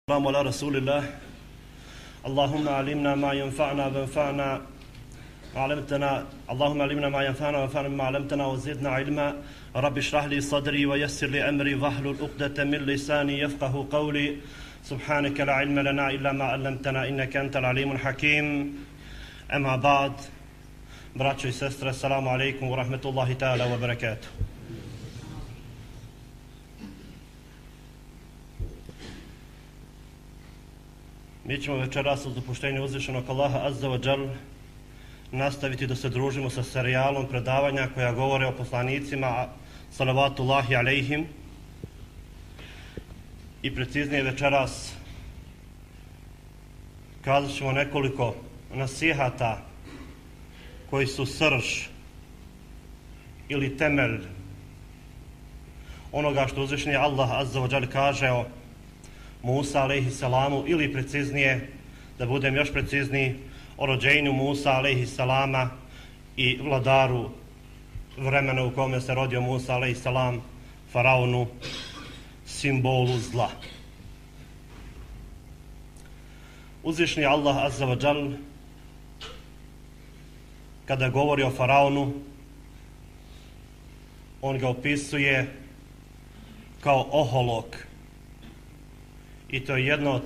السلام على رسول الله اللهم علمنا ما ينفعنا وانفعنا علمتنا اللهم علمنا ما ينفعنا وانفعنا بما علمتنا وزدنا علما رب اشرح لي صدري ويسر لي امري واحلل عقدة من لساني يفقهوا قولي سبحانك لا علم لنا الا ما علمتنا انك انت العليم الحكيم اما بعد braćo i sestre, assalamu alaikum wa rahmetullahi ta'ala wa barakatuh. Mi ćemo večeras uz dopuštenje uzvišenog Allaha azza wa džal nastaviti da se družimo sa serijalom predavanja koja govore o poslanicima salavatullahi alaihim i preciznije večeras kazat ćemo nekoliko nasihata koji su srž ili temelj onoga što uzvišeni Allah azza wa džal kaže o Musa alejhi salamu, ili preciznije, da budem još precizniji, o rođenju Musa alejhi salama i vladaru vremena u kome se rodio Musa alejhi salam, faraonu, simbolu zla. Uzvišeni Allah azza wa džal kada govori o faraonu, on ga opisuje kao oholok. I to je jedna od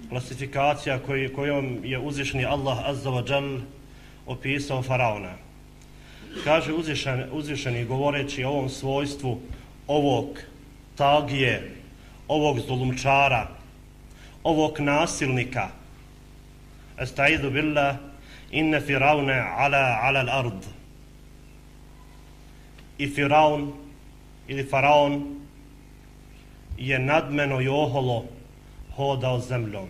klasifikacija kojom je uzvišeni Allah azza wa džal opisao faraona. Kaže uzvišeni govoreći o ovom svojstvu ovog tagije, ovog zulumčara, ovog nasilnika. Estaizu billah, inne firaune ala al-ard. I firaun ili faraon je nadmeno i oholo hodao zemljom.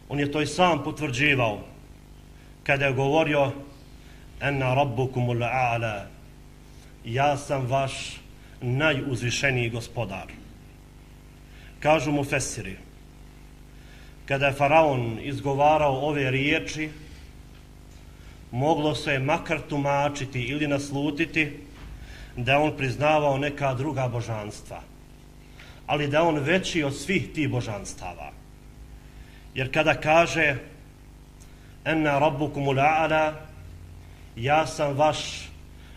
On je to i sam potvrđivao kada je govorio enna rabbukumul a'la, ja sam vaš najuzvišeniji gospodar. Kažu mu fesiri, kada je faraon izgovarao ove riječi, moglo se je makar tumačiti ili naslutiti da je on priznavao neka druga božanstva, ali da je on veći od svih tih božanstava. Jer kada kaže enna rabbukumul a'la, ja sam vaš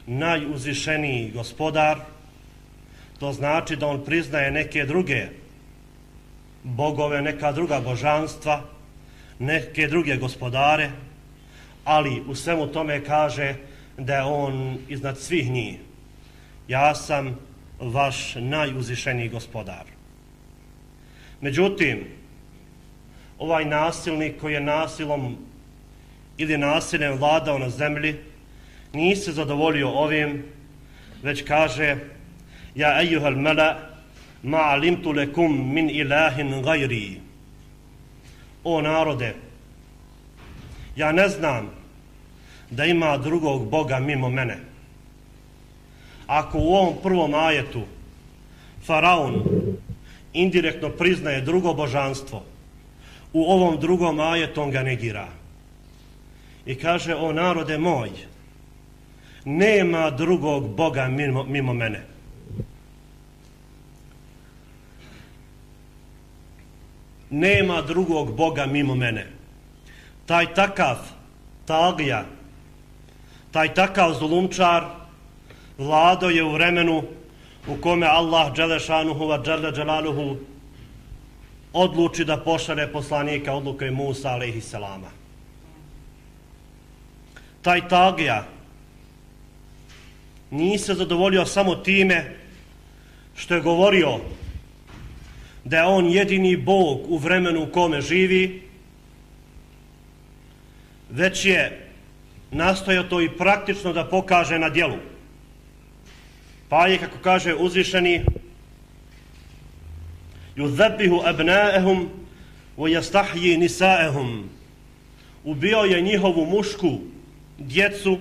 najuzvišeniji gospodar, to znači da on priznaje neke druge bogove, neka druga božanstva, neke druge gospodare, ali u svemu tome kaže da je on iznad svih njih. Ja sam vaš najuzvišeniji gospodar. Međutim, ovaj nasilnik koji je nasilom ili nasiljem vladao na zemlji, nije se zadovoljio ovim, već kaže ja ejuhal mela ma alimtu lekum min ilahin gajri. O narode, ja ne znam da ima drugog Boga mimo mene. Ako u ovom prvom ajetu faraon indirektno priznaje drugo božanstvo, u ovom drugom ajetu on ga negira. I kaže, o narode moj, nema drugog Boga mimo mene. Nema drugog Boga mimo mene. Taj takav tagija, taj takav zulumčar vlado je u vremenu u kome Allah dželešanuhu wa džele dželaluhu odluči da pošalje poslanika, odluke Musa alejhi salama. Taj tagija nije se zadovoljio samo time što je govorio da je on jedini Bog u vremenu u kome živi, već je nastojao to i praktično da pokaže na djelu. Pa je, kako kaže uzvišeni, yuzabbihu abna'ahum wa yastahyi nisa'ahum. Ubio je njihovu mušku djecu,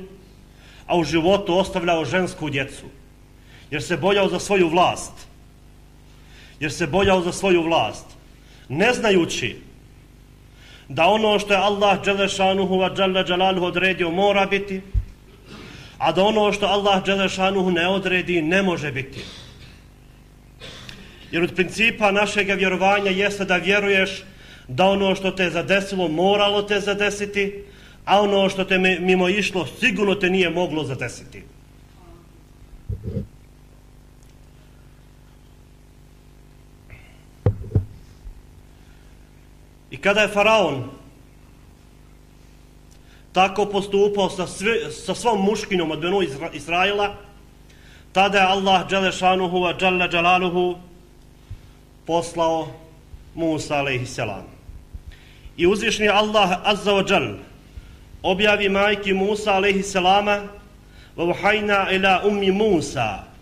a u životu ostavljao žensku djecu. Jer se bojao za svoju vlast. Ne znajući da ono što je Allah dželešanuhu wa dželle dželaluhu odredio mora biti, a da ono što Allah dželešanuhu ne odredi ne može biti. Jer od principa našega vjerovanja jeste da vjeruješ da ono što te zadesilo moralo te zadesiti, a ono što te mimo išlo sigurno te nije moglo zadesiti. I kada je faraon tako postupao sa svom muškinom od Benu Israila, tada je Allah Đelešanuhu wa Đalla Đalaluhu poslao Musa a.s. I uzvišni Allah Azza wa Đal objavi majki Musa a.s. وَوْحَيْنَا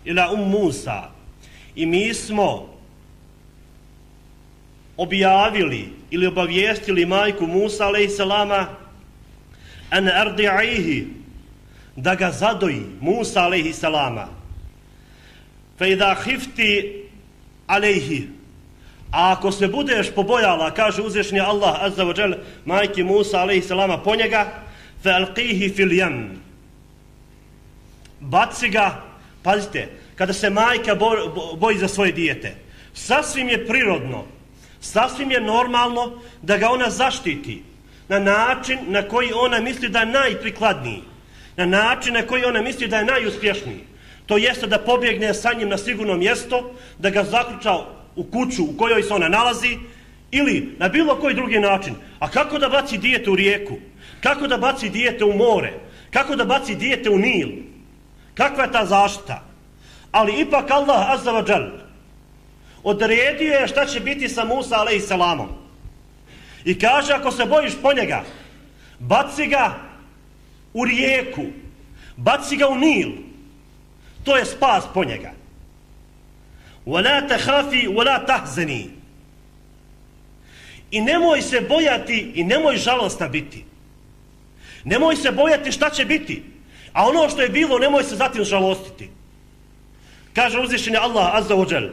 إِلَا Musa i mi smo objavili ili obavijestili majku Musa a.s. an ardi'ihi, da ga zadoji Musa a.s. فَإِذَا خِفْتِ عَلَيْهِ, a ako se budeš pobojala, kaže uzvišni Allah Azza wa Jal majki Musa a.s. po njega, فَأَلْقِيهِ فِي الْيَمِّ, baci ga. Pazite, kada se majka boji za svoje dijete, sasvim je prirodno, sasvim je normalno da ga ona zaštiti na način na koji ona misli da je najprikladniji, na način na koji ona misli da je najuspješniji. To jeste da pobjegne sa njim na sigurno mjesto, da ga zaključa u kuću u kojoj se ona nalazi ili na bilo koji drugi način. A kako da baci dijete u rijeku? Kako da baci dijete u more? Kako da baci dijete u Nil? Kakva je ta zaštita? Ali ipak Allah Azza wa Jal odredio je šta će biti sa Musa a.s. I kaže, ako se bojiš po njega, baci ga u rijeku, baci ga u Nil. To je spas po njega. وَلَا تَحَافِي وَلَا تَحْزَنِي, i nemoj se bojati i nemoj žalosna biti. Nemoj se bojati šta će biti, a ono što je bilo nemoj se zatim žalostiti. Kaže uzvišeni Allah Azza wa Jal,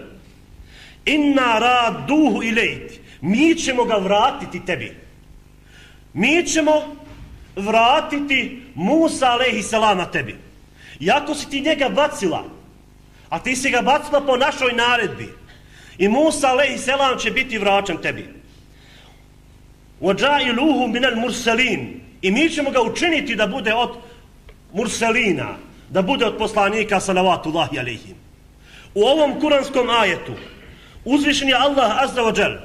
inna raduhu ilejk, mi ćemo ga vratiti tebi. Mi ćemo vratiti Musa a.s. tebi. Iako si ti njega bacila, a ti si ga bacila po našoj naredbi, i Musa a.s. će biti vraćan tebi. وَجَعِلُوهُ مِنَ الْمُرْسَلِينَ, i mi ćemo ga učiniti da bude od murselina, da bude od poslanika salavatullahi alejhim. U ovom kuranskom ajetu uzvišeni Allah Azza wa Jal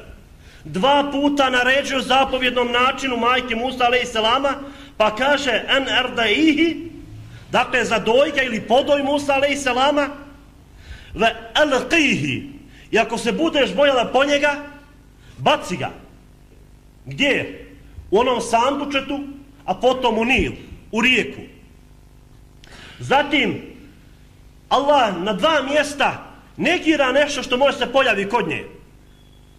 2 puta naređuje zapovjednom načinu majke Musa a.s. pa kaže an ardaihi, dakle zadoj ga ili podoj Musa a.s. ve alqihi, i ako se budeš bojala po njega, baci ga. Gdje? U onom sandučetu, a potom u Nil, u rijeku. Zatim Allah na 2 mjesta negira nešto što može se pojavi kod nje.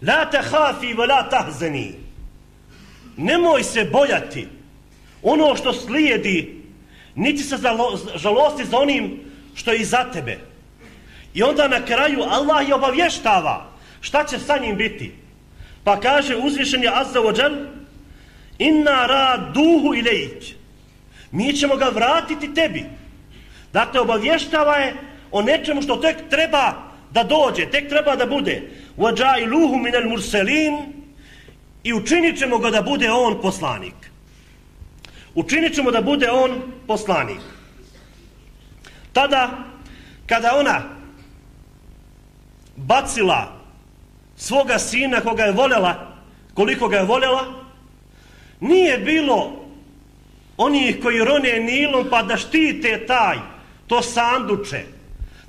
La tahafi wa la tahzani, nemoj se bojati ono što slijedi, niti se žalosti za onim što je iza tebe. I onda na kraju Allah je obavještava šta će sa njim biti. Pa kaže uzvišeni Azza wa Jal, inna raduhu ilejk, mi ćemo ga vratiti tebi. Dakle, obavještava je o nečemu što tek treba da dođe, tek treba da bude. وَجَعِلُوهُ مِنَ الْمُرْسَلِينَ, i učinit ćemo ga da bude on poslanik. Učinit ćemo da bude on poslanik. Tada, kada ona bacila svoga sina koga je voljela, koliko ga je voljela, nije bilo onih koji rone Nilom pa da štite to sanduče,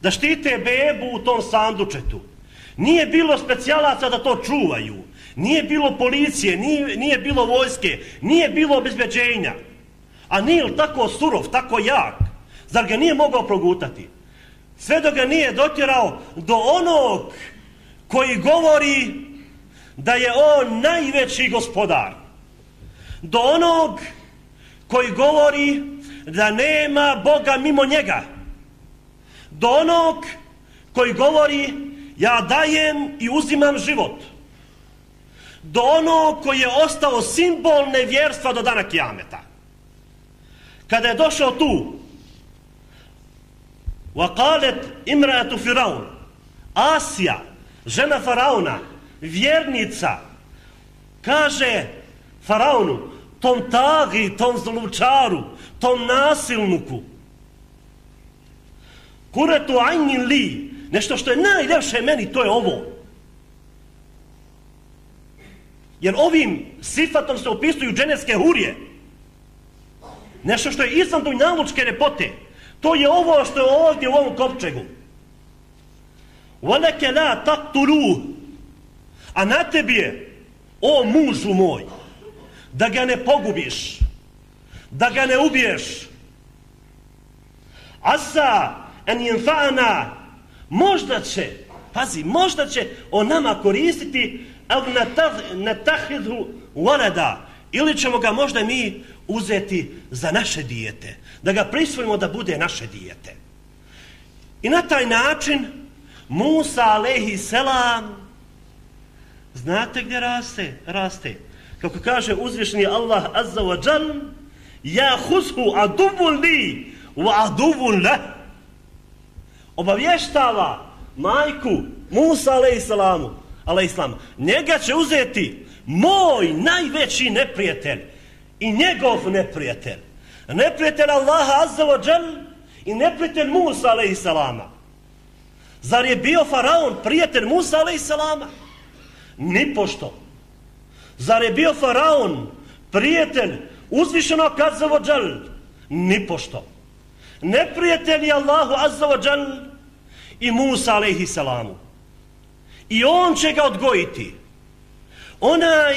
da štite bebu u tom sandučetu. Nije bilo specijalaca da to čuvaju, nije bilo policije, nije bilo vojske, nije bilo obezbeđenja. A Nil tako surov, tako jak, zar ga nije mogao progutati? Sve dok ga nije dotjerao do onog koji govori da je on najveći gospodar, do onog koji govori da nema Boga mimo njega, do onog koji govori ja dajem i uzimam život, do onog koji je ostao simbol nevjerstva do dana kijameta. Kada je došao tu, وَقَالَتْ إِمْرَأَةُ فِرَوْنَ, Asija, žena faraona, vjernica, kaže faraonu, tom tagi, tom zlučaru, tom nasilniku, kuretu ajnin li, nešto što je najljepše meni, to je ovo. Jer ovim sifatom se opisuju dženevske hurije. Nešto što je izvan dunjalučke lepote. To je ovo što je ovdje u ovom kovčegu. وَلَكَ لَا تَقْتُلُوهُ. A na tebi je, o mužu moj, da ga ne pogubiš, da ga ne ubiješ. Asa en yenfa'ana, možda će, pazi, možda će on nama koristiti al natahidhu walada, ili ćemo ga možda mi uzeti za naše dijete, da ga prisvojimo da bude naše dijete. I na taj način Musa alejhi selam, znate gdje raste? Kako kaže uzvišeni Allah azza wa džal, ja huzhu aduvun li wa aduvun leh. Obavještava majku Musa alejhisselam, njega će uzeti moj najveći neprijatelj i njegov neprijatelj. Neprijatelj Allaha azza wa džal i neprijatelj Musa alejhisselama. Zar je bio faraon prijatelj Musa alejhisselama? Nipošto. Zar je bio faraon prijatelj uzvišenog azza wa džal? Nipošto. Neprijatelj je Allahu azza wa džal i Musa alejhisselamu. I on će ga odgojiti. Onaj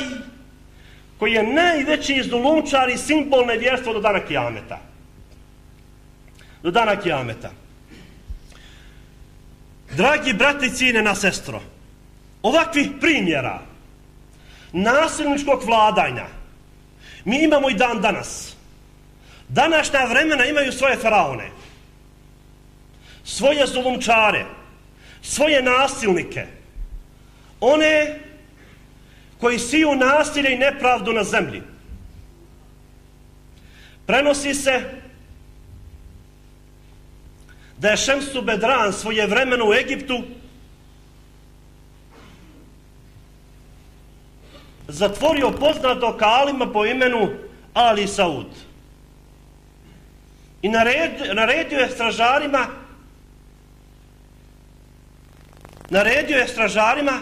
koji je najveći zulumčar i simbol nevjerstva do dana kijameta. Do dana kijameta. Dragi brati i cijenjena sestro, ovakvih primjera nasilničkog vladanja mi imamo i dan danas. Današnja vremena imaju svoje faraone, svoje zulumčare, svoje nasilnike, one koji siju nasilje i nepravdu na zemlji. Prenosi se da je Šemsu Bedran svojevremeno u Egiptu zatvorio poznatog alima po imenu Ali Saud i naredio je stražarima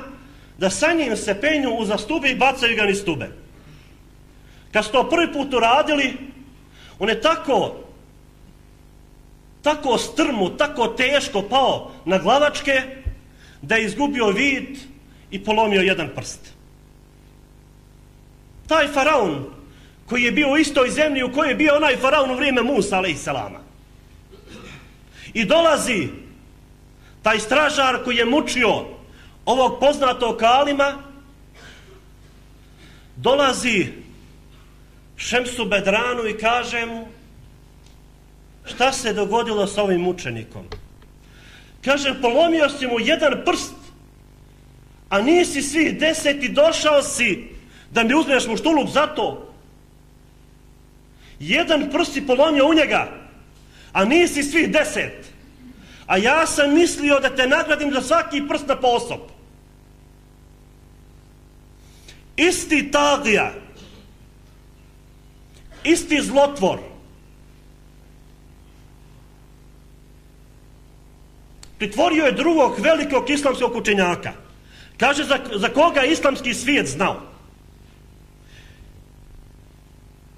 da sa njim se penju uza stube i bacaju ga niz stube. Kad su to prvi put uradili, on je tako strmo, tako teško pao na glavačke da je izgubio vid i polomio jedan prst. Taj faraon koji je bio u istoj zemlji u kojoj je bio onaj faraon u vrijeme Musa alejhisselama. I dolazi taj stražar koji je mučio ovog poznatog alima, dolazi Šemsu Bedranu i kaže mu, šta se dogodilo s ovim mučenikom? Kaže, polomio si mu jedan prst, a nisi svih 10 i došao si da mi uzmeš muštuluk za to. Jedan prst si polomio u njega, a nisi svih 10. A ja sam mislio da te nagradim za svaki prst na posob. Isti tagija, isti zlotvor, pritvorio je drugog velikog islamskog učenjaka. Kaže za koga je islamski svijet znao.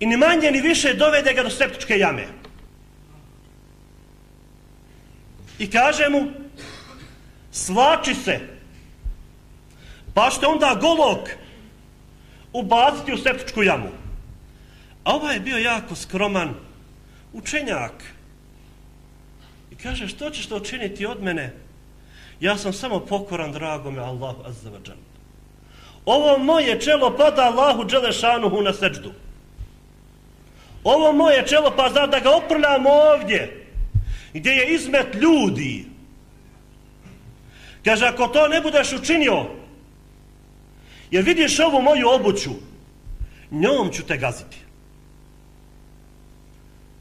I ni manje ni više dovede ga do septičke jame. I kaže mu, svlači se, pa ćete onda golog ubaciti u septičku jamu. A ovaj je bio jako skroman učenjak. I kaže, što ćeš to učiniti od mene? Ja sam samo pokoran dragome Allahu azza wa džal. Ovo moje čelo pada Allahu dželešanuhu na seđdu. Ovo moje čelo pa zna da ga oprljam ovdje, gdje je izmet ljudi. Kaže, ako to ne budeš učinio, jer vidiš ovu moju obuću, njom ću te gaziti.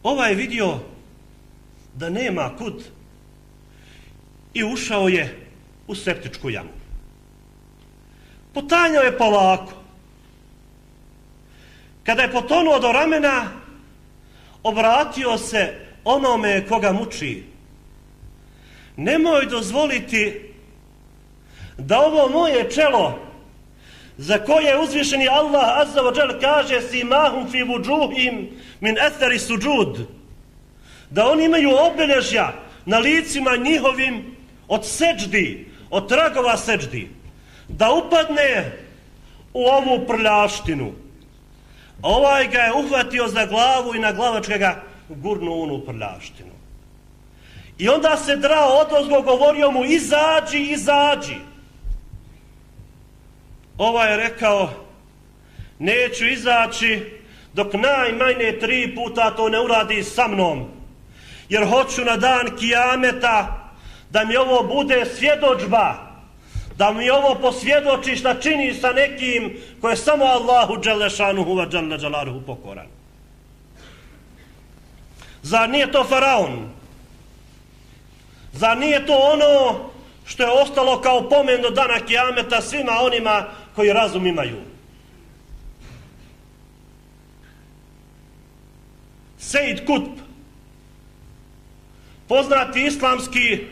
Ovaj je vidio da nema kud i ušao je u septičku jamu. Potanjao je polako. Kada je potonuo do ramena, obratio se onome koga muči. Nemoj dozvoliti da ovo moje čelo, za koje uzvišeni Allah azza wa džal kaže simahum fi vujuhim min athari sujud, da oni imaju obilježja na licima njihovim od seđdi, od tragova seđdi, da upadne u ovu prljaštinu. Ovaj ga je uhvatio za glavu i na glavačka ga gurnuo u onu prljaštinu. I onda se drao odozgo, govorio mu izađi, izađi. Ovaj je rekao neću izaći dok najmanje 3 puta to ne uradi sa mnom, jer hoću na dan kijameta da mi ovo bude svjedodžba, da mi ovo posvjedoči šta čini sa nekim ko je samo Allahu dželešanuhu wa dželle dželaluhu pokoran. Zar nije to faraon? Zar nije to ono što je ostalo kao pomen do dana kijameta svima onima koji razum imaju? Sejid Kutb, poznati islamski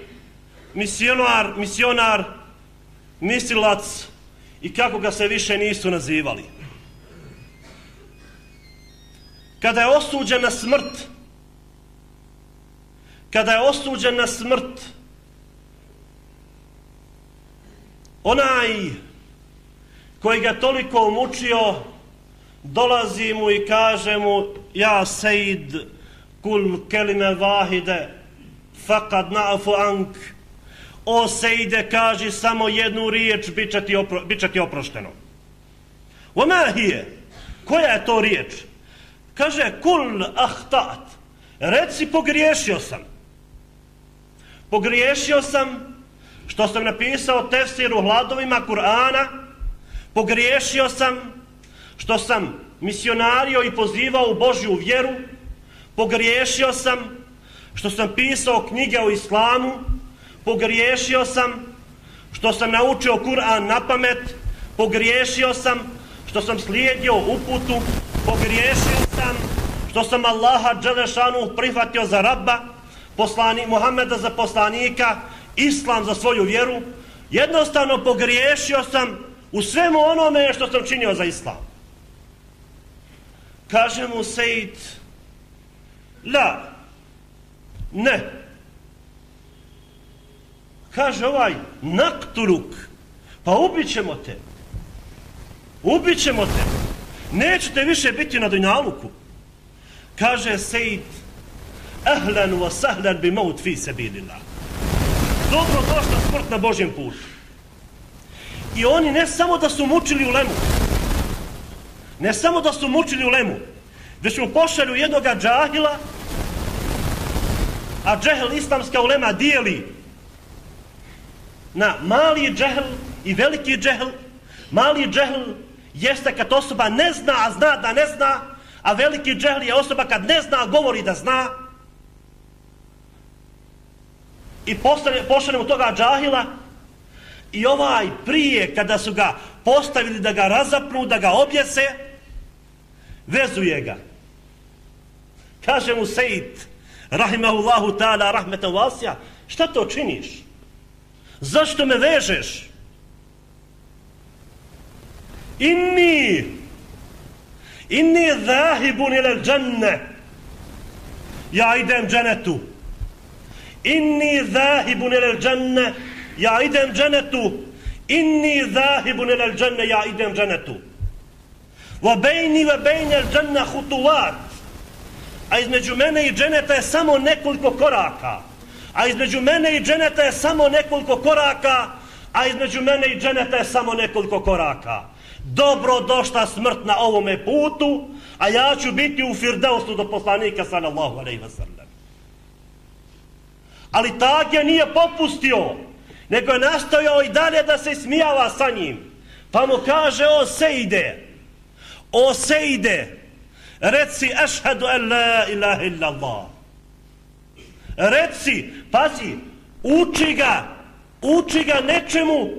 misionar, mislilac i kako ga se više nisu nazivali. Kada je osuđen na smrt, onaj koji ga toliko mučio dolazi mu i kaže mu ja sejid kul kelime vahide fakad na'fu ank, o sejde kaži samo jednu riječ, bit će ti oprošteno. Oma hije, koja je to riječ? Kaže kul ahtat, reci pogriješio sam što sam napisao tefsir u hladovima Kur'ana, pogriješio sam što sam misionario i pozivao u Božju vjeru, pogriješio sam što sam pisao knjige o islamu, pogriješio sam što sam naučio Kur'an na pamet, pogriješio sam što sam slijedio uputu, pogriješio sam što sam Allaha dželešanu prihvatio za Rabba, Muhameda za poslanika, Islam za svoju vjeru. Jednostavno pogriješio sam u svemu onome što sam činio za Islam. Kaže mu Sejid, la, ne. Kaže ovaj, naktuluk, pa ubićemo te, nećete više biti na dunjaluku. Kaže Sejid, ahlan wa sahlan bi maut fi sabilillah. Dobro došla smrt na Božjem putu. I oni ne samo da su mučili u lemu, već mu pošalju jednoga džahila, a džehl islamska ulema dijeli na mali džehl i veliki džehl. Mali džehl jeste kad osoba ne zna, a zna da ne zna, a veliki džehl je osoba kad ne zna, a govori da zna. I pošaljemo toga džahila i ovaj prije kada su ga postavili da ga razapnu, da ga objese, vezuje ga. Kaže mu Sejid, rahimahullahu ta'ala, rahmetan vasija, šta to činiš? Zašto me vežeš? Inni zahibun ilal džanne, ja idem dženetu. Inni zahibun ilal džanne, ja idem dženetu. Inni zahibun ilal džanne, ja idem dženetu. Wa bejni wa bejni al džanna hutuvat, a između mene i dženeta je samo nekoliko koraka. Dobro došla smrt na ovome putu, a ja ću biti u Firdausu do poslanika sallallahu alejhi ve sellem. Ali Tagija nije popustio, nego je nastojao i dalje da se smijava sa njim. Pa mu kaže, o Sejde, reci ašhadu an la ilaha illallah. Reci, pazi, uči ga nečemu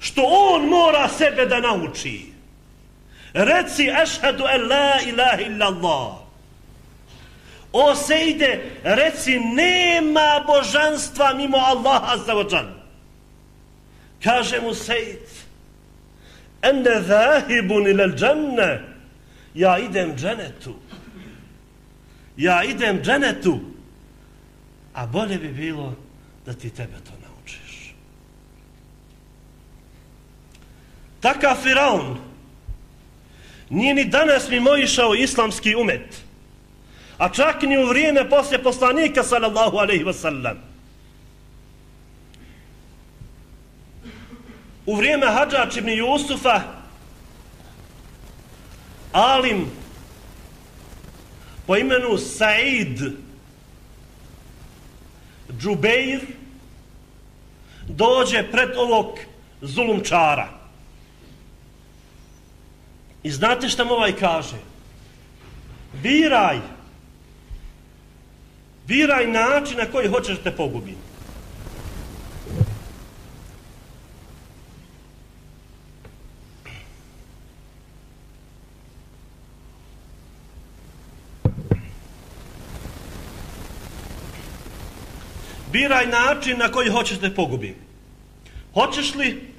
što on mora sebe da nauči. Reci ašhadu en la ilaha illa Allah. O Sejde, reci nema božanstva mimo Allaha azza wa džal. Kaže mu Sejd, ene zahibun ilal džanne, ja idem dženetu. Ja idem dženetu. A bolje bi bilo da ti tebe to naučiš. Takav Firaun nije ni danas mimoišao islamski umet, a čak ni u vrijeme poslije poslanika sallallahu alejhi ve sellem. U vrijeme Hadžadž ibn Jusufa alim po imenu Said Džubeir dođe pred ovog zulumčara. I znate šta mu ovaj kaže? Biraj način na koji hoćeš da te pogubim. Biraj način na koji hoćeš da te pogubim. Hoćeš li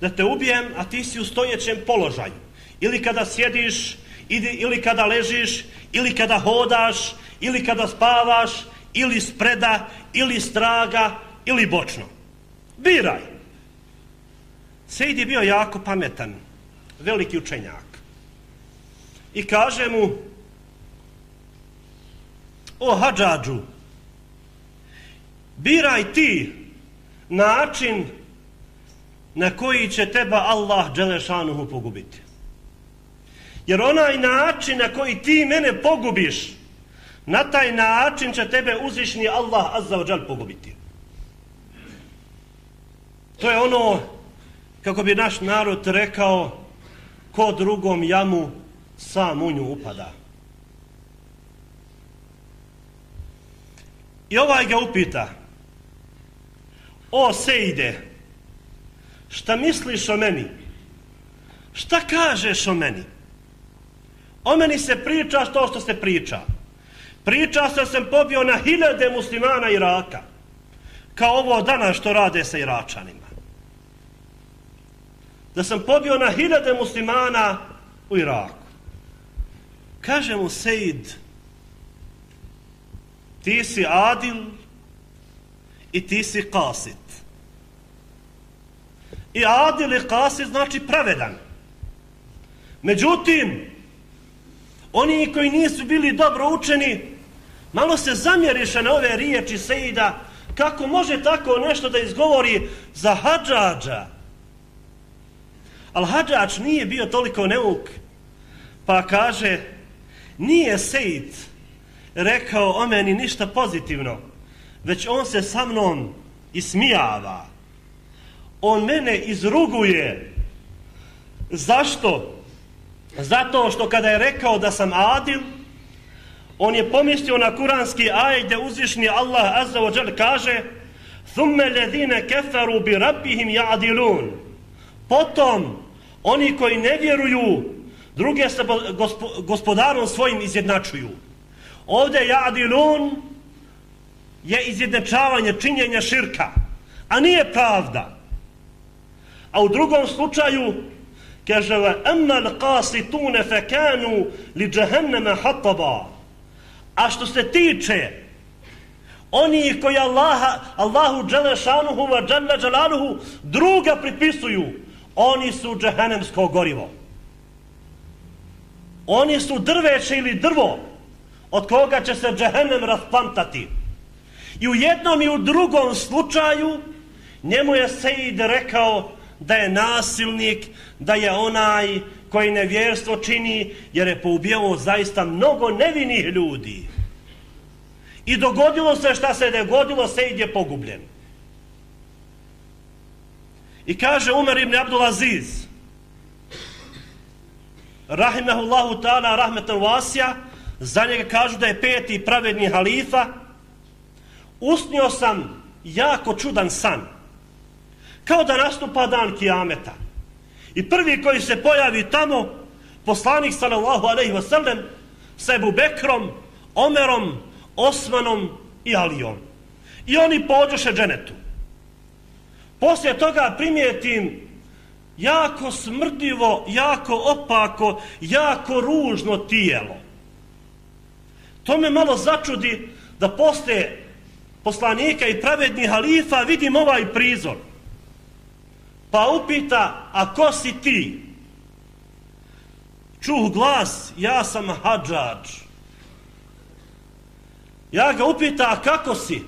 da te ubijem, a ti si u stojećem položaju? Ili kada sjediš, ili kada ležiš, ili kada hodaš, ili kada spavaš, ili spreda, ili straga, ili bočno. Biraj. Sejd je bio jako pametan, veliki učenjak. I kaže mu, o Hadžadžu, biraj ti način na koji će teba Allah dželešanuhu pogubiti. Jer onaj način na koji ti mene pogubiš, na taj način će tebe uzvišni Allah azza wa džal pogubiti. To je ono, kako bi naš narod rekao, ko drugom jamu sam u nju upada. I ovaj ga upita, o Sejde, šta misliš o meni? Šta kažeš o meni? O meni se priča što se priča. Priča se da sam pobio na 1000 muslimana Iraka, kao ovo danas što rade sa Iračanima. Da sam pobio na 1000 muslimana u Iraku. Kaže mu Sejd, ti si adil i ti si qasit. I adil i qasit znači pravedan. Međutim, oni koji nisu bili dobro učeni, malo se zamjeriše na ove riječi Sejda, kako može tako nešto da izgovori za Hadžadža. Al Hadžadž nije bio toliko neuk, pa kaže, nije Sejd rekao o meni ništa pozitivno, već on se sa mnom ismijava. On mene izruguje. Zašto? Zato što kada je rekao da sam adil, on je pomislio na kuranski ajet gdje uzvišni Allah azza wa džal kaže ثُمَّ الَّذِينَ كَفَرُوا بِرَبِّهِمْ يَعْدِلُونَ. Potom, oni koji ne vjeruju, druge se gospodarom svojim izjednačuju. Ovdje ya'dilun je izjednačavanje, činjenja širka, a nije pravda. A u drugom slučaju kaže وَأَمَّا الْقَاسِتُونَ فَكَانُوا لِجَهَنَّمَ حَطَبًا. A što se tiče oni koji Allahu dželešanuhu wa dželle dželaluhu druga pripisuju, oni su džehennemsko gorivo. Oni su drveće ili drvo od koga će se džehennem rasplantati. I u jednom i u drugom slučaju njemu je Sejd rekao da je nasilnik, da je onaj koji nevjerstvo čini, jer je poubijao zaista mnogo nevinih ljudi. I dogodilo se šta se dogodilo, Sejd je pogubljen. I kaže Umar ibn Abdul Aziz, rahimahullahu ta'ala rahmetan vasija, za njega kažu da je 5. pravedni halifa, usnio sam jako čudan san. Kao da nastupa dan kijameta. I prvi koji se pojavi tamo, poslanik sallallahu alejhi ve sellem sa Ebu Bekrom, Omerom, Osmanom i Alijom. I oni pođoše dženetu. Poslije toga primijetim jako smrdljivo, jako opako, jako ružno tijelo. To me malo začudi da poslije poslanika i pravednih halifa vidim ovaj prizor. Pa upita, a ko si ti? Čuh glas, ja sam Hadžadž. Ja ga upita, a kako si?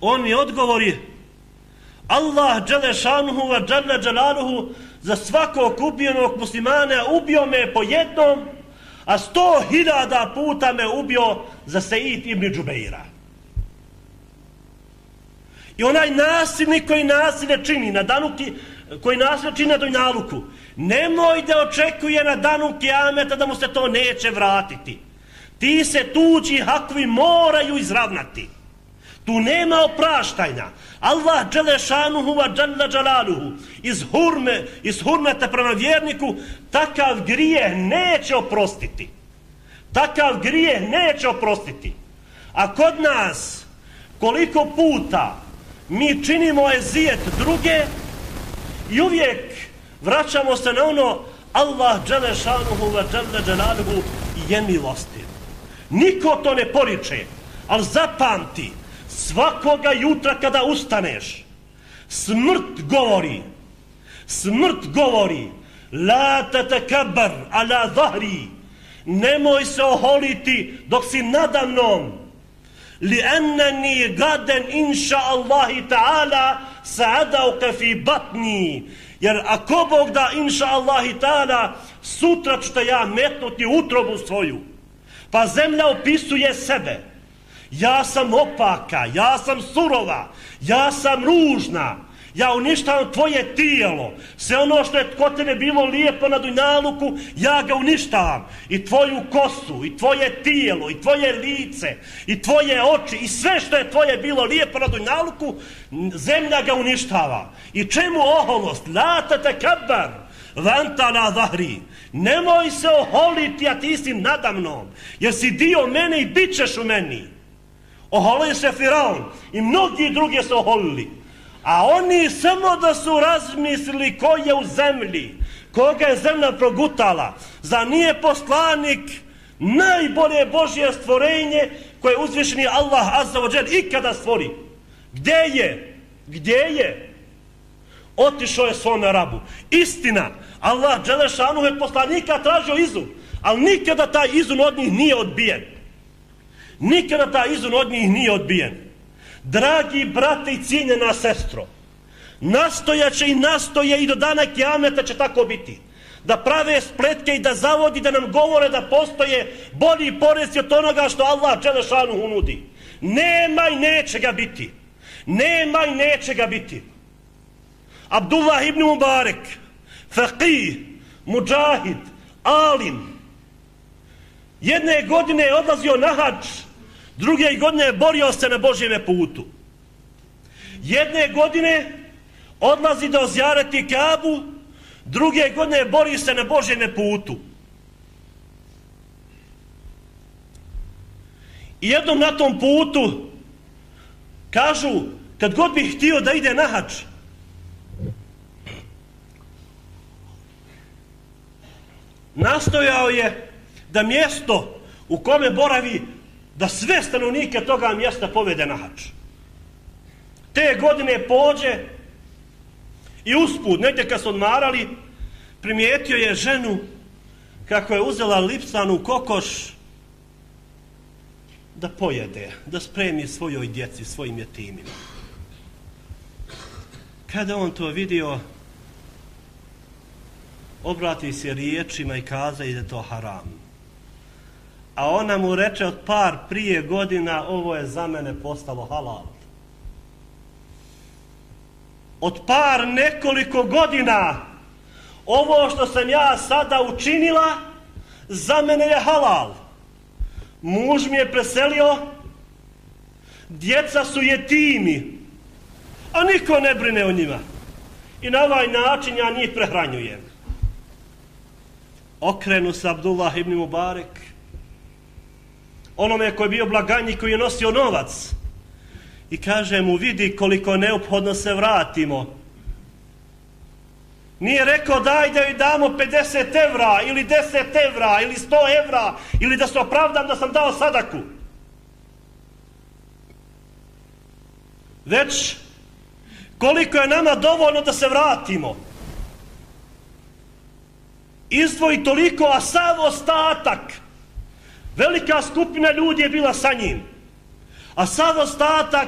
On mi odgovori, Allah dželle šanuhu wa dželle dželaluhu za svakog ubijenog muslimana ubio me po jednom, a 100.000 puta me ubio za Seid ibn Džubeira. I onaj nasilnik koji nasilje čini na danuki, koji nasilje čini na dunjaluku, nemoj da očekuje na danu kijameta da mu se to neće vratiti. Ti se tuđi hakovi moraju izravnati. Tu nema opraštanja. Allah dželle šanuhu wa dželle dželaluhu iz hurmeta prema vjerniku takav grijeh neće oprostiti. Takav grijeh neće oprostiti. A kod nas koliko puta mi činimo ezijet druge i uvijek vraćamo se na ono Allah dželle šanuhu wa dželle dželaluhu je milostiv. Niko to ne poriče, ali zapamti, svakoga jutra kada ustaneš, smrt govori, la tatakabbar ala zahri, nemoj se oholiti dok si nadamnom, li enneni gaden inša Allahi ta'ala sa'adauka fi batni, jer ako Bog da inša Allahi ta'ala, sutra ću te ja metnuti utrobu svoju. Pa zemlja opisuje sebe. Ja sam opaka, ja sam surova, ja sam ružna, ja uništavam tvoje tijelo. Sve ono što je kod tebe bilo lijepo na dunjaluku, ja ga uništavam. I tvoju kosu, i tvoje tijelo, i tvoje lice, i tvoje oči, i sve što je tvoje bilo lijepo na dunjaluku, zemlja ga uništava. I čemu oholost? La tatakabbar vanta la zahri. Nemoj se oholiti, a ti si nadamnom, jer si dio mene i bit ćeš u meni. Oholio se Firaun i mnogi drugi se oholili. A oni samo da su razmislili ko je u zemlji, koga je zemlja progutala. Za nije poslanik najbolje Božje stvorenje koje uzvišeni Allah azza wa džel ikada stvori. Gdje je? Otišao je svome rabu. Istina, Allah dželle šanuhu je poslanika tražio izun, ali nikada taj izun od njih nije odbijen. Nikada taj izun od njih nije odbijen. Dragi brate i cijenjena sestro, nastojaće i nastoje i do dana kijameta će tako biti. Da prave spletke i da zavodi, da nam govore da postoje bolji porezi od onoga što Allah dželle šanuhu nudi. Nema i neće ga biti. Nema i neće ga biti. Abdullah ibn Mubarek, faqih, muđahid, alim, jedne godine je odlazio na hadž, druge godine je borio se na Božjeme putu. Jedne godine odlazi da ozjareti Kabu, druge godine bori se na Božjeme putu. I jednom na tom putu kažu, kad god bih htio da ide na hadž, nastojao je da mjesto u kome boravi, da sve stanovnike toga mjesta povede na hadž. Te godine pođe i usput, negdje kad su odmarali, primijetio je ženu kako je uzela lipsanu kokoš da pojede, da spremi svojoj djeci, svojim jetimima. Kada on to vidio, obrati se riječima i kaza da je to haram. A ona mu reče od par prije godina, ovo je za mene postalo halal. Od par nekoliko godina, ovo što sam ja sada učinila, za mene je halal. Muž mi je preselio, djeca su jetimi, a niko ne brine o njima. i na ovaj način ja njih prehranjujem. Okrenu se Abdullah ibn Mubarek, onome koji je bio blagajnik, koji je nosio novac, i kaže mu, vidi koliko neophodno se vratimo. Nije rekao daj da joj damo 50 evra ili 10 evra ili 100 evra ili da se opravdam da sam dao sadaku. Već koliko je nama dovoljno da se vratimo. Izdvoji toliko, a sav ostatak, velika skupina ljudi je bila sa njim, a sav ostatak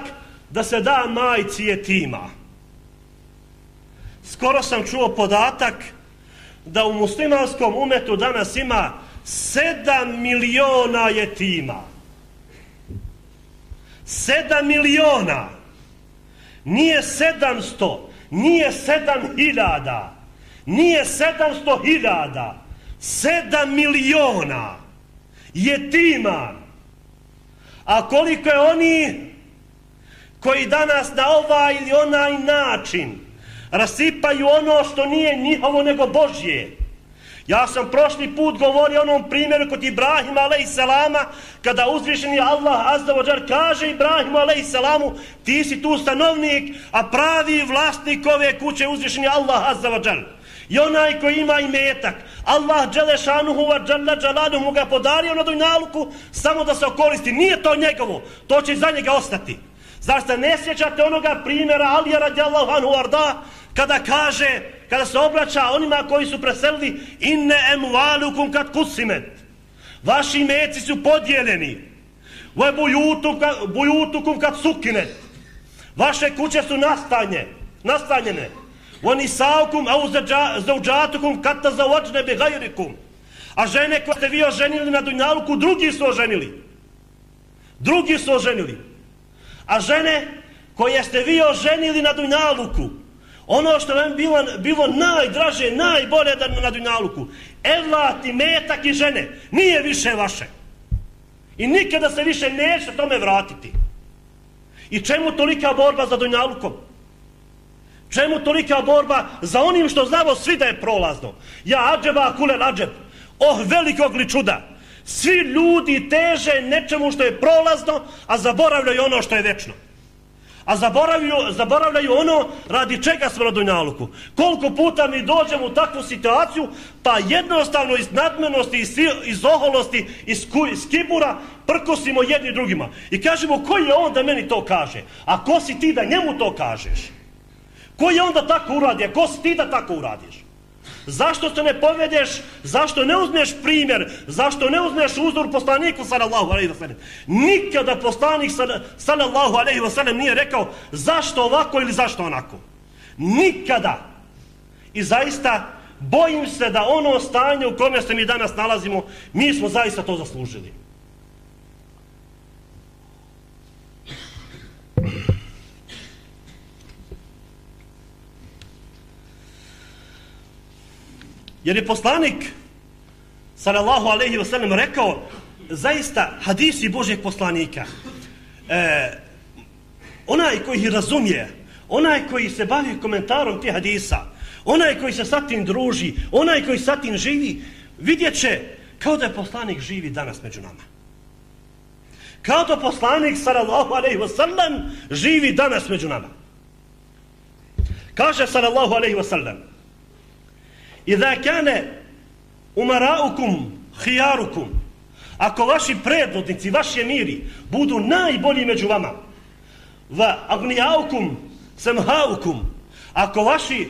da se da majci jetima. Skoro sam čuo podatak da u muslimanskom umetu danas ima 7 miliona jetima. 7 miliona. Nije 700, nije 7.000, nije 700.000, 7 miliona jetima. A koliko je oni koji danas na ovaj ili onaj način rasipaju ono što nije njihovo nego Božje. Ja sam prošli put govorio o onom primjeru kod Ibrahima alejselama, kada uzvišeni Allah azza wa džal kaže Ibrahimu alejselamu, ti si tu stanovnik, a pravi vlasnik ove kuće uzvišeni Allah azza wa džal. I onaj koji ima imetak, Allah dželešanuhu wa džalla džalaluhu mu ga podario na dunjaluku samo da se okoristi. Nije to njegovo, to će za njega ostati. Zar se ne sjećate onoga primjera Alija radijallahu anhu arda, kada kaže, kada se obraća onima koji su preselili, inne emvalukum kad kusimet, vaši imeci su podijeljeni, bujutukum kad sukinet, vaše kuće su nastanjene, vanisaukum au zauđatukum kad tazavađne bi gajrikum, a žene koje ste vi oženili na dunjaluku, drugi su oženili, a žene koje ste vi oženili na dunjaluku, ono što vam bilo najdraže, najbolje na dunjaluku, evlat i metak i žene, nije više vaše. I nikada se više neće tome vratiti. I čemu tolika borba za dunjalukom? Čemu tolika borba za onim što znamo svi da je prolazno? Ja ađeba kulel ađeb, velikog li čuda. Svi ljudi teže nečemu što je prolazno, a zaboravljaju ono što je večno. A zaboravljaju ono radi čega smo na dunjaluku. Koliko puta mi dođemo u takvu situaciju, pa jednostavno iz nadmenosti, iz oholosti, iz kibura prkosimo jedni drugima. I kažemo, ko je on da meni to kaže? A ko si ti da njemu to kažeš? Ko je on da tako uradi? A ko si ti da tako uradiš? Zašto se ne povedeš, zašto ne uzmeš primjer, zašto ne uzmeš uzor poslaniku sallallahu alejhi ve sellem? Nikada poslanik sallallahu alejhi ve sellem nije rekao zašto ovako ili zašto onako. Nikada. I zaista bojim se da ono stanje u kome se mi danas nalazimo, mi smo zaista to zaslužili. Jer je poslanik sallallahu alejhi ve sellem rekao, zaista hadisi Božjeg poslanika, onaj koji ih razumije, onaj koji se bavi komentarom tih hadisa, onaj koji se sa tim druži, onaj koji sa tim živi, vidjet će kao da je poslanik živi danas među nama. Kao da poslanik sallallahu alejhi ve sellem živi danas među nama. Kaže sallallahu alejhi ve sellem, Iza kane umaraukum hijarukum, ako vaši predvodnici, vaši emiri budu najbolji među vama, va agnijaukum semhaukum, ako vaši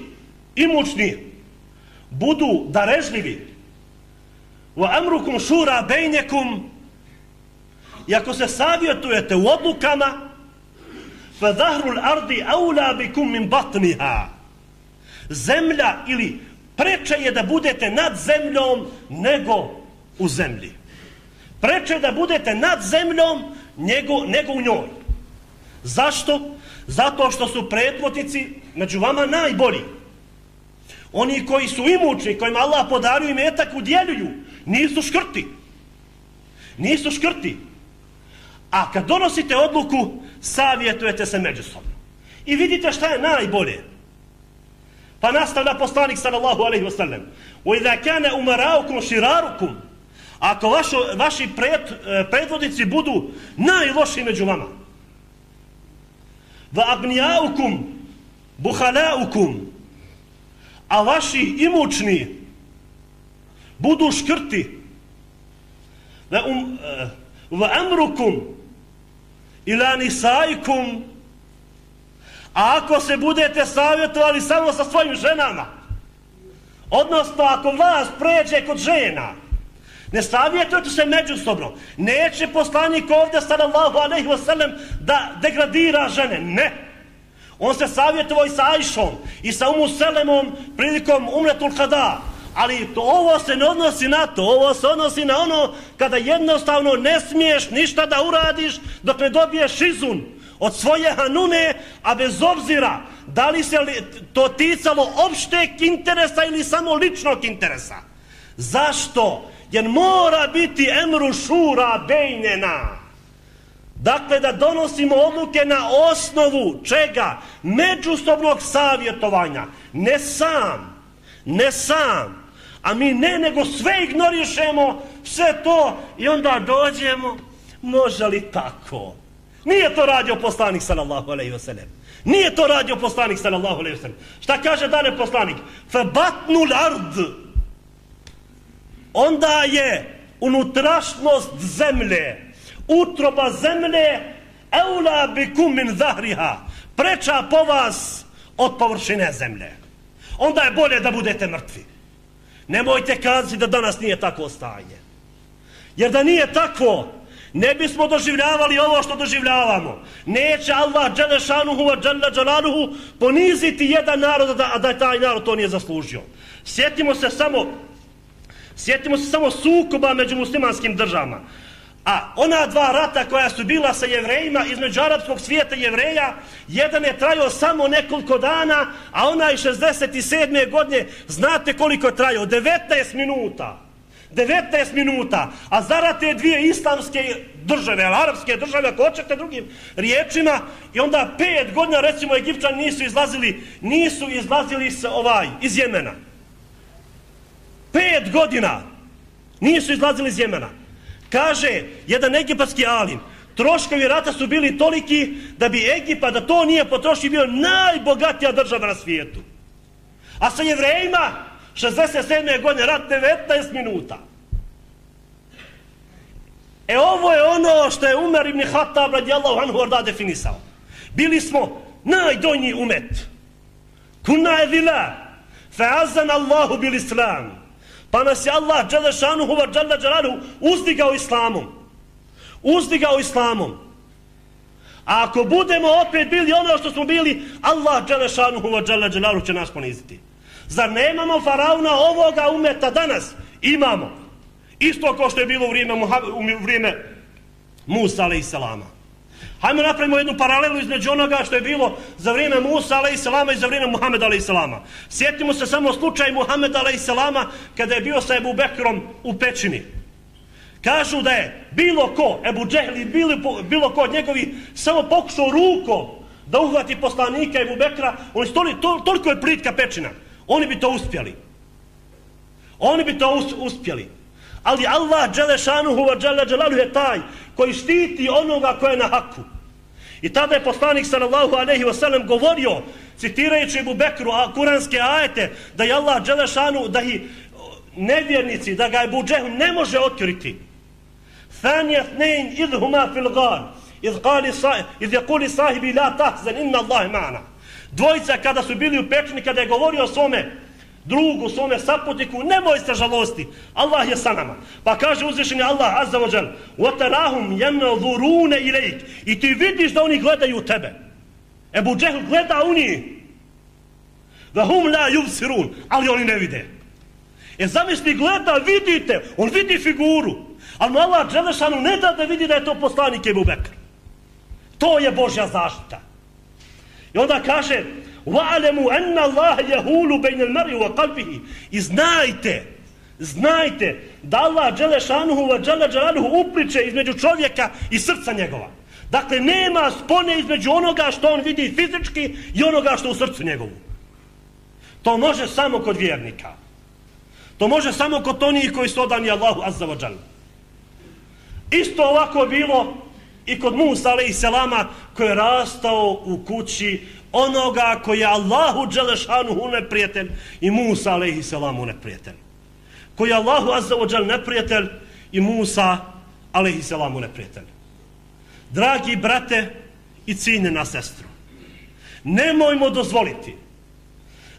imućni budu darežljivi, va amrukum šura bejnjekum, i ako se savjetujete u odlukama, fa zahrul ardi aula bikum min batniha, zemlja ili preče je da budete nad zemljom nego u zemlji. Preče je da budete nad zemljom nego u njoj. Zašto? Zato što su predvodnici među vama najbolji. Oni koji su imućni, kojima Allah podario imetak, udjeljuju. Nisu škrti. Nisu škrti. A kad donosite odluku, savjetujete se međusobno. I vidite šta je najbolje. Pa nastavlja poslanik sallallahu alejhi ve sellem: "Wa idha kana umaraukum shirarukum." Ako vaši predvodnici budu najlošiji među vama. "Va agniyaukum bukhalaukum." A vaši imućni budu škrti. "Va amrukum ila nisaikum." A ako se budete savjetovali samo sa svojim ženama, odnosno ako vlast pređe kod žena, ne savjetujete se međusobno. Neće poslanik ovdje sallallahu alejhi ve sellem da degradira žene. Ne. On se savjetovao i sa Ajšom i sa Umu Selemom prilikom Umretul Kada. Ali ovo se ne odnosi na to. Ovo se odnosi na ono kada jednostavno ne smiješ ništa da uradiš dok ne dobiješ izun od svoje hanune, a bez obzira da li se to ticalo opšteg interesa ili samo ličnog interesa. Zašto? Jer mora biti emru šura bejnena. Dakle, da donosimo odluke na osnovu čega? Međusobnog savjetovanja. Ne sam. A mi nego sve ignorišemo, sve to i onda dođemo, može li tako? Nije to radio poslanik sallallahu alejhi ve sellem. Nije to radio poslanik sallallahu alejhi ve sellem. Šta kaže dalje poslanik? Fa batnul ard. Onda je unutrašnjost zemlje, utroba zemlje, eula bikum min zahriha, preča po vas od površine zemlje. Onda je bolje da budete mrtvi. Nemojte kazati da danas nije takvo stanje. Jer da nije takvo, ne bismo doživljavali ovo što doživljavamo. Neće Allah dželešanuhu wa dželle dželaluhu poniziti jedan narod, a da taj narod to nije zaslužio. Sjetimo se samo sukoba među muslimanskim državama. A ona dva rata koja su bila sa Jevrejima, između arapskog svijeta i Jevreja, jedan je trajao samo nekoliko dana, a onaj 67. godine, znate koliko je trajao? 19 minuta. 19 minuta. A zarad te dvije islamske države, arapske države, ako hoćete drugim riječima, i onda 5 godina, recimo, Egipćani nisu izlazili iz Jemena. 5 godina nisu izlazili iz Jemena. Kaže jedan egipatski alim, troškovi rata su bili toliki da bi Egipat, da to nije potrošio, bio najbogatija država na svijetu. A sa Jevrejima 67. godine rat 19 minuta. Ovo je ono što je Umar ibn Khattab radijallahu anhu orda definisao. Bili smo najdonji umet. Kunna edila, fa'azan Allahu bil islam. Pa nas je Allah dželešanuhu wa dželle dželaluhu uzdigao islamom. A ako budemo opet bili ono što smo bili, Allah dželešanuhu wa dželle dželaluhu će nas poniziti. Zar nemamo faraona ovoga umeta danas? Imamo. Isto kao što je bilo u vrijeme Musa alejselama. Hajmo napravimo jednu paralelu između onoga što je bilo za vrijeme Musa alejselama i za vrijeme Muhameda alejselama. Sjetimo se samo slučaj Muhameda alejselama kada je bio sa Ebu Bekrom u pećini. Kažu da je bilo ko, Ebu Džehli, bilo ko od njegovi, samo pokušao rukom da uhvati poslanika Ebu Bekra, toliko je plitka pećina. Oni bi to uspjeli. Ali Allah dželešanuhu wa dželle dželaluhu je taj koji štiti onoga koje je na haku. I tada je poslanik sallallahu alejhi ve sellem govorio, citirajući Ebu Bekru kuranske ajete, da je Allah dželešanu, da i nevjernici, da ga Ebu Džehl ne može otkriti. Thaniya thnain idhuma fil ghar idh yaqulu sahibi la tahzan inna Allaha ma'ana. Dvojica kada su bili u pećini, kada je govorio svome drugu, svome saputniku, nemoj se žalosti, Allah je sa nama. Pa kaže uzvišeni Allah azza wa džal, وَتَرَاهُمْ يَنَظُرُونَ إِلَيْكَ. I ti vidiš da oni gledaju u tebe. Ebu Džehl gleda u njih. وَهُمْ لَا يُبْصِرُونَ. Ali oni ne vide. Zamisli, gleda, vidite, on vidi figuru. Ali mu Allah dželešanu ne da vidi da je to poslanik Ebu Bekr. To je Božja zaštita. I onda kaže, وَعَلَمُوا أَنَّ اللَّهَ يَهُولُ بَيْنَ الْمَرْءِ وَقَلْبِهِ. I znajte da Allah dželešanuhu wa dželle dželaluhu upliče između čovjeka i srca njegova. Dakle, nema spone između onoga što on vidi fizički i onoga što u srcu njegovu. To može samo kod vjernika. To može samo kod onih koji su odani Allahu azza wa džal. Isto ovako bilo i kod Musa alejhi selama, koji je rastao u kući onoga koji je Allahu dželešanuhu neprijatelj i Musa alejhi selamu neprijatelj. Koji je Allahu azza wa džal neprijatelj i Musa alejhi selamu neprijatelj. Dragi brate i cijenjena sestro, nemojmo dozvoliti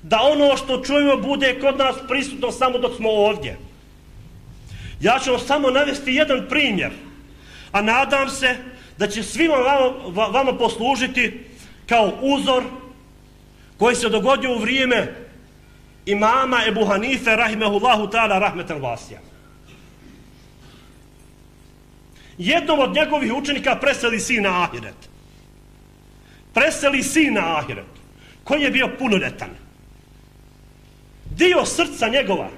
da ono što čujemo bude kod nas prisutno samo dok smo ovdje. Ja ću vam samo navesti jedan primjer, a nadam se da će svima vama poslužiti kao uzor koji se dogodio u vrijeme imama Ebu Hanife rahimehullahu ta'ala rahmetan vasija. Jednom od njegovih učenika preseli sin na ahiret. Preseli sin na ahiret, koji je bio punoljetan. Dio srca njegova.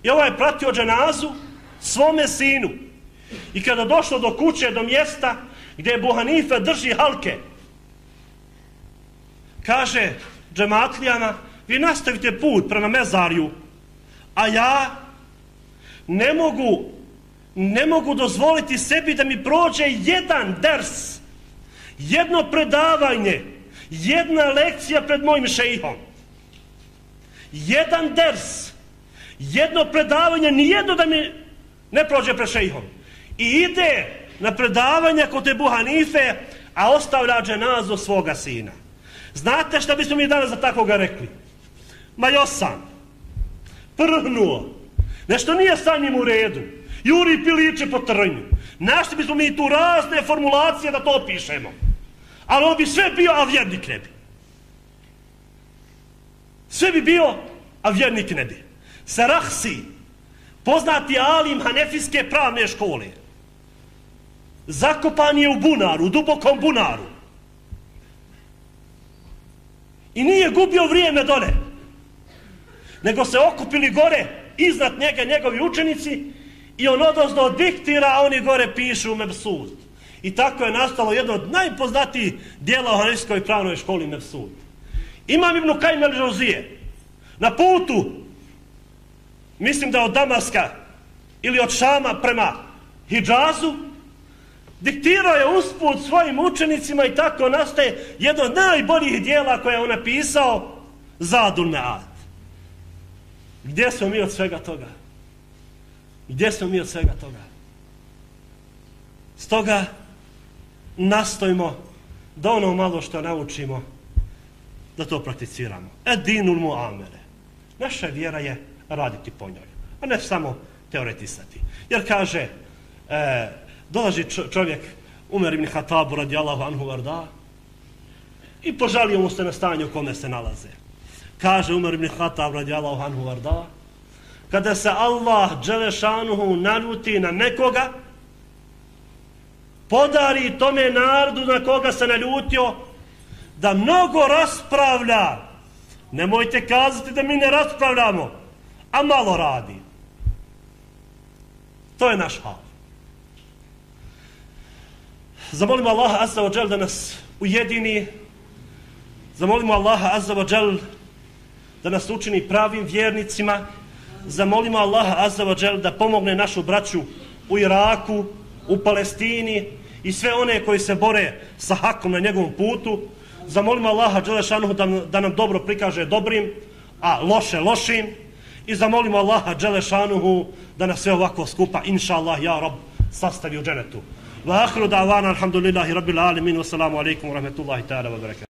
I ovaj je pratio dženazu svome sinu. I kada došlo do kuće, do mjesta gdje Ebu Hanife drži halke, kaže džematlijama, vi nastavite put prema mezarju, a ja ne mogu dozvoliti sebi da mi prođe jedan ders, jedno predavanje, jedna lekcija pred mojim šejhom. Jedan ders, jedno predavanje, nijedno da mi ne prođe pred šejhom. I ide na predavanje kod Ebu Hanife, a ostavlja dženazu svoga sina. Znate šta bismo mi danas za takvoga rekli? Ma josam, prhnuo, nešto nije sa njim u redu, juri piliće po trnju. Našli bismo mi tu razne formulacije da to opišemo. Ali on bi sve bio, a vjernik ne bi. Sve bi bio, a vjernik ne bi. Sarahsi, poznati alim hanefijske pravne škole, zakopan je u bunaru, u dubokom bunaru. I nije gubio vrijeme dole, nego se okupili gore iznad njega njegovi učenici i on odozdo diktira, a oni gore pišu Mebsud. I tako je nastalo jedno od najpoznatijih dijela u hanefijskoj pravnoj školi Mebsud. Imam Ibn Kajim el-Džauzije na putu, mislim da od Damaska ili od Šama prema Hidžazu, diktirao je usput svojim učenicima i tako nastaje jedno od najboljih dijela koje je on napisao, Zadul Me'ad. Gdje smo mi od svega toga? Gdje smo mi od svega toga? Stoga nastojimo da ono malo što naučimo, da to prakticiramo. Edinul muamere. Naša vjera je raditi po njoj, a ne samo teoretisati. Jer kaže, dolazi čovjek, Umer ibn Hatabu radijallahu anhu varda, i požalio mu se na stanju u kome se nalaze. Kaže Umer ibn Hatab radijallahu anhu varda, kada se Allah dželešanuhu naljuti na nekoga, podari tome narodu na koga se naljutio da mnogo raspravlja. Nemojte kazati da mi ne raspravljamo, a malo radi. To je naš hal. Zamolimo Allaha azza wa džel da nas ujedini. Zamolimo Allaha azza wa džel da nas učini pravim vjernicima. Zamolimo Allaha azza wa džel da pomogne našu braću u Iraku, u Palestini i sve one koji se bore sa hakom na njegovom putu. Zamolimo Allaha dželešanuhu da nam dobro prikaže dobrim, a loše lošim. I zamolimo Allaha dželešanuhu da nas sve ovako skupa, inša Allah, ja Rab, sastavi u dženetu. Wa akhiru da'wana alhamdulillahi rabbil alamin wa salamu alaikum wa rahmetullahi ta'ala wa barakatuh.